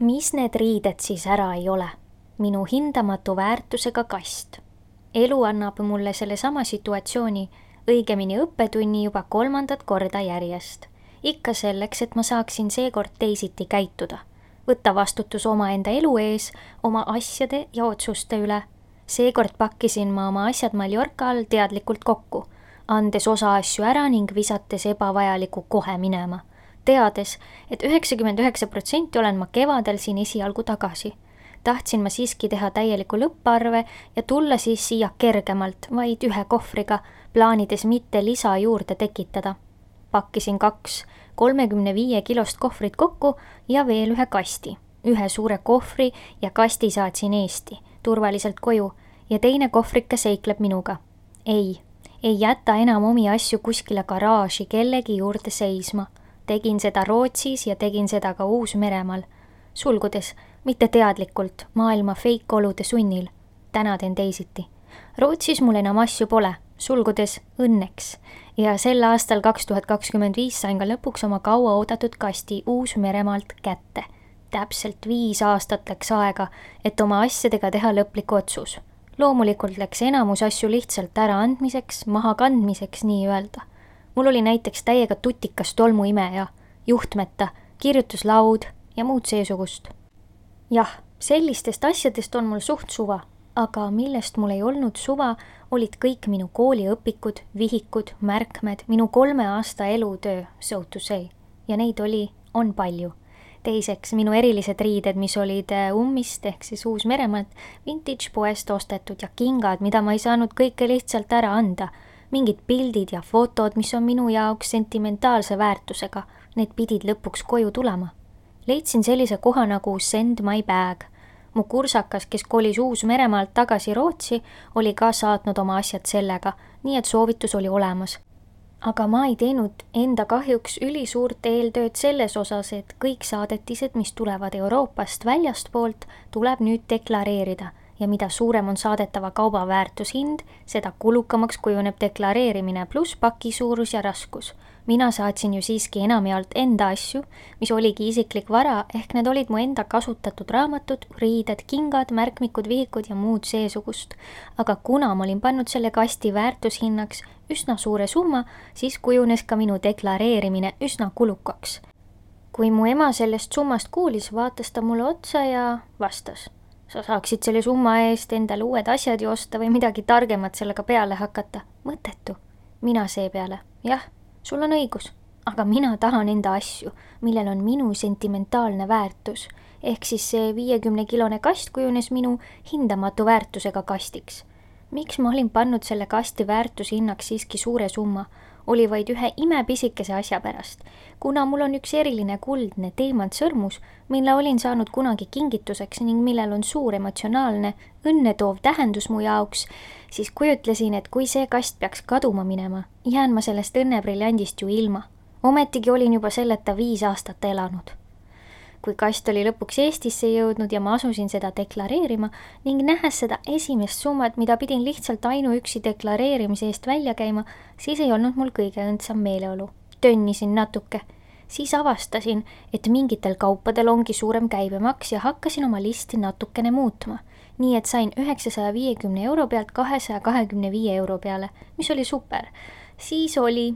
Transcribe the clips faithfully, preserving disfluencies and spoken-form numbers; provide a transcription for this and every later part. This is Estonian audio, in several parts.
Mis need riided siis ära ei ole? Minu hindamatu väärtusega kast. Elu annab mulle sellesama situatsiooni, õigemini õppetunni juba kolmandat korda järjest. Ikka selleks, et ma saaksin seekord teisiti käituda. Võtta vastutus omaenda elu ees, oma asjade ja otsuste üle. Seekord pakkisin ma oma asjad Mallorcal teadlikult kokku, andes osa asju ära ning visates ebavajaliku kohe minema. Teades, et üheksakümmend üheksa protsenti olen ma kevadel siin esialgu tagasi. Tahtsin ma siiski teha täieliku lõpparve ja tulla siis siia kergemalt, vaid ühe kohvriga, plaanides mitte lisa juurde tekitada. Pakkisin kaks kolmekümne viie kilost kohvrit kokku ja veel ühe kasti. Ühe suure kohvri ja kasti saatsin Eesti, turvaliselt koju, ja teine kohvrike seikleb minuga. Ei, ei jäta enam omi asju kuskile garaaži kellegi juurde seisma. Tegin seda Rootsis ja tegin seda ka Uus-Meremaal. Sulgudes, mitte teadlikult, maailma feikolude sunnil. Täna teen teisiti. Rootsis mul enam asju pole, sulgudes õnneks. Ja sel aastal kaks tuhat kakskümmend viis sain ka lõpuks oma kaua oodatud kasti Uus-Meremaalt kätte. Täpselt viis aastat läks aega, et oma asjadega teha lõplik otsus. Loomulikult läks enamus asju lihtsalt ära andmiseks, maha kandmiseks nii öelda. Mul oli näiteks täiega tutikas tolmuimeja, juhtmeta, kirjutuslaud ja muud seesugust. Jah, sellistest asjadest on mul suht suva, aga millest mul ei olnud suva, olid kõik minu kooliõpikud, vihikud, märkmed, minu kolme aasta elutöö, so to say. Ja neid oli, on palju. Teiseks, minu erilised riided, mis olid Ummist ehk siis Uus-Meremaalt, vintage poest ostetud ja kingad, mida ma ei saanud kõike lihtsalt ära anda. Mingid pildid ja fotod, mis on minu jaoks sentimentaalse väärtusega, need pidid lõpuks koju tulema. Leidsin sellise koha nagu Send My Bag. Mu kursakas, kes kolis Uus-Meremaalt tagasi Rootsi, oli ka saatnud oma asjad sellega, nii et soovitus oli olemas. Aga ma ei teinud enda kahjuks ülisuurt eeltööd selles osas, et kõik saadetised, mis tulevad Euroopast väljastpoolt, tuleb nüüd deklareerida. Ja mida suurem on saadetava kauba väärtushind, seda kulukamaks kujuneb deklareerimine pluss paki suurus ja raskus. Mina saatsin ju siiski enamjaolt enda asju, mis oligi isiklik vara, ehk need olid mu enda kasutatud raamatud, riided, kingad, märkmikud, vihikud ja muud seesugust. Aga kuna ma olin pannud selle kasti väärtushinnaks üsna suure summa, siis kujunes ka minu deklareerimine üsna kulukaks. Kui mu ema sellest summast kuulis, vaatas ta mulle otsa ja vastas. Sa saaksid selle summa eest endale uued asjad ju osta või midagi targemat sellega peale hakata. Mõttetu. Mina seepeale. Jah, sul on õigus. Aga mina tahan enda asju, millel on minu sentimentaalne väärtus. Ehk siis see viiekümne kilone kast kujunes minu hindamatu väärtusega kastiks. Miks ma olin pannud selle kasti väärtushinnaks siiski suure summa? Oli vaid ühe imepisikese asja pärast. Kuna mul on üks eriline kuldne teemant sõrmus, mille olin saanud kunagi kingituseks ning millel on suur emotsionaalne, õnnetoov tähendus mu jaoks, siis kujutlesin, et kui see kast peaks kaduma minema, jään ma sellest õnnebriljandist ju ilma. Ometigi olin juba selleta viis aastat elanud. Kui kast oli lõpuks Eestisse jõudnud ja ma asusin seda deklareerima ning nähes seda esimest summat, mida pidin lihtsalt ainuüksi deklareerimise eest välja käima, siis ei olnud mul kõige õndsam meeleolu. Tönnisin natuke. Siis avastasin, et mingitel kaupadel ongi suurem käibemaks ja hakkasin oma listi natukene muutma. Nii et sain üheksasaja viiekümne euro pealt kahesaja kahekümne viie euro peale, mis oli super. Siis oli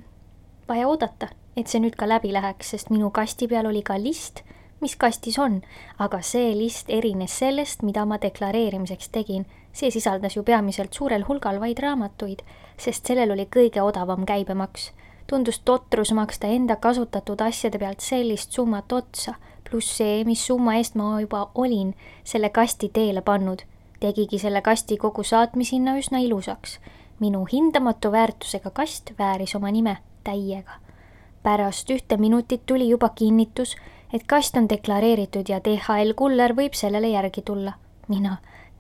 vaja oodata, et see nüüd ka läbi läheks, sest minu kasti peal oli ka list, mis kastis on, aga see list erines sellest, mida ma deklareerimiseks tegin. See sisaldas ju peamiselt suurel hulgal vaid raamatuid, sest sellel oli kõige odavam käibemaks. Tundus totrus maksta enda kasutatud asjade pealt sellist summat otsa, pluss see, mis summa eest ma juba olin selle kasti teele pannud. Tegigi selle kasti kogu saatmishinna üsna ilusaks. Minu hindamatu väärtusega kast vääris oma nime täiega. Pärast ühte minutit tuli juba kinnitus, et kast on deklareeritud ja D H L kuller võib sellele järgi tulla. Mina,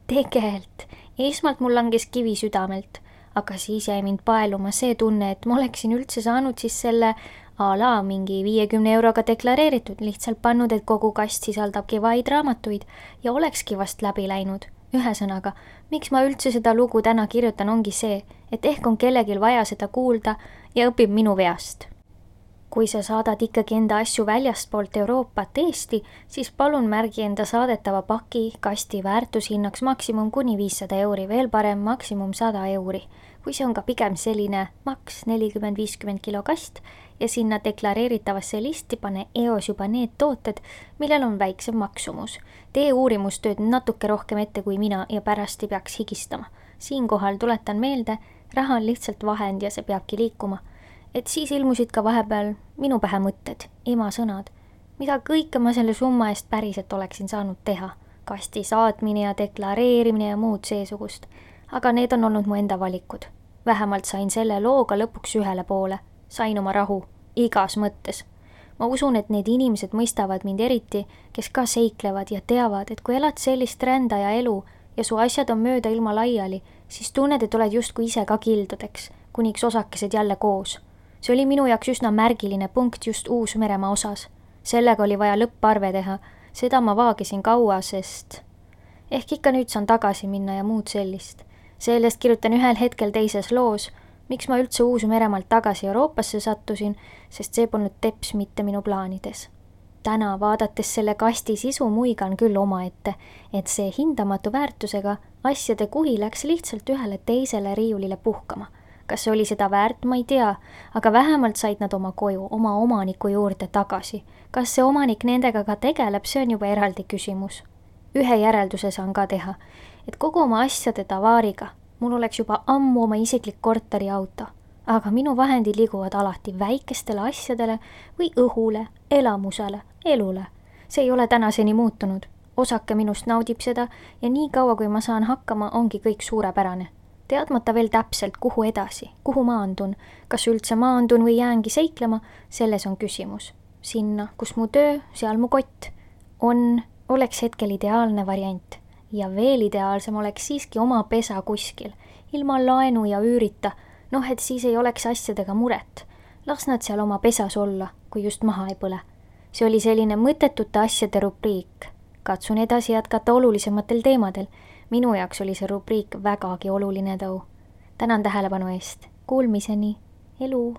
tegelt, esmalt mul langes kivi südamelt, aga siis jäi mind paeluma see tunne, et ma oleksin üldse saanud siis selle a la mingi viiekümne euroga deklareeritud, lihtsalt pannud, et kogu kast sisaldabki vaid raamatuid ja olekski vast läbi läinud. Ühesõnaga, miks ma üldse seda lugu täna kirjutan ongi see, et ehk on kellegil vaja seda kuulda ja õpib minu veast. kui sa saadad ikkagi enda asju väljastpoolt Euroopat Eesti, siis palun märgi enda saadetava paki kasti väärtushinnaks maksimum kuni viissada euri, veel parem maksimum sada euri. Kui see on ka pigem selline maks nelikümmend viiskümmend kilo kast ja sinna deklareeritavasse listi pane eos juba need tooted, millel on väiksem maksumus. Tee uurimustööd natuke rohkem ette kui mina ja pärast ei peaks higistama. Siinkohal tuletan meelde, raha on lihtsalt vahend ja see peabki liikuma. Et siis ilmusid ka vahepeal minu pähe mõtted, ema sõnad, mida kõike ma selle summa eest päriselt oleksin saanud teha. Kasti saatmine ja deklareerimine ja muud seesugust. Aga need on olnud mu enda valikud. Vähemalt sain selle looga lõpuks ühele poole. Sain oma rahu, igas mõttes. Ma usun, et need inimesed mõistavad mind eriti, kes ka seiklevad ja teavad, et kui elad sellist rändaja elu ja su asjad on mööda ilma laiali, siis tunned, et oled justkui ise ka kildudeks, kuniks osakesed jälle koos. See oli minu jaoks üsna märgiline punkt just Uus-Meremaa osas. Sellega oli vaja lõpparve teha, seda ma vaagisin kaua, sest ehk ikka nüüd saan tagasi minna ja muud sellist. Sellest kirjutan ühel hetkel teises loos, miks ma üldse Uus-Meremaalt tagasi Euroopasse sattusin, sest see polnud teps mitte minu plaanides. Täna vaadates selle kasti sisu muigan küll omaette, et see hindamatu väärtusega asjade kuhi läks lihtsalt ühele teisele riiulile puhkama. Kas see oli seda väärt, ma ei tea, aga vähemalt said nad oma koju, oma omaniku juurde tagasi. Kas see omanik nendega ka tegeleb, see on juba eraldi küsimus. Ühe järelduse saan ka teha, et kogu oma asjade tavaariga mul oleks juba ammu oma isiklik korteri auto, aga minu vahendid liiguvad alati väikestele asjadele või õhule, elamusele, elule. See ei ole tänaseni muutunud. Osake minust naudib seda ja nii kaua, kui ma saan hakkama, ongi kõik suurepärane. Teadmata veel täpselt, kuhu edasi, kuhu maandun, kas üldse maandun või jäängi seiklema, selles on küsimus. Sinna, kus mu töö, seal mu kott on, oleks hetkel ideaalne variant. Ja veel ideaalsem oleks siiski oma pesa kuskil, ilma laenu ja üürita, noh et siis ei oleks asjadega muret. Las nad seal oma pesas olla, kui just maha ei põle. See oli selline mõttetute asjade rubriik. Katsun edasi jätkata olulisematel teemadel. Minu jaoks oli see rubriik vägagi oluline tõu. Tänan tähelepanu eest. Kuulmiseni. Elu.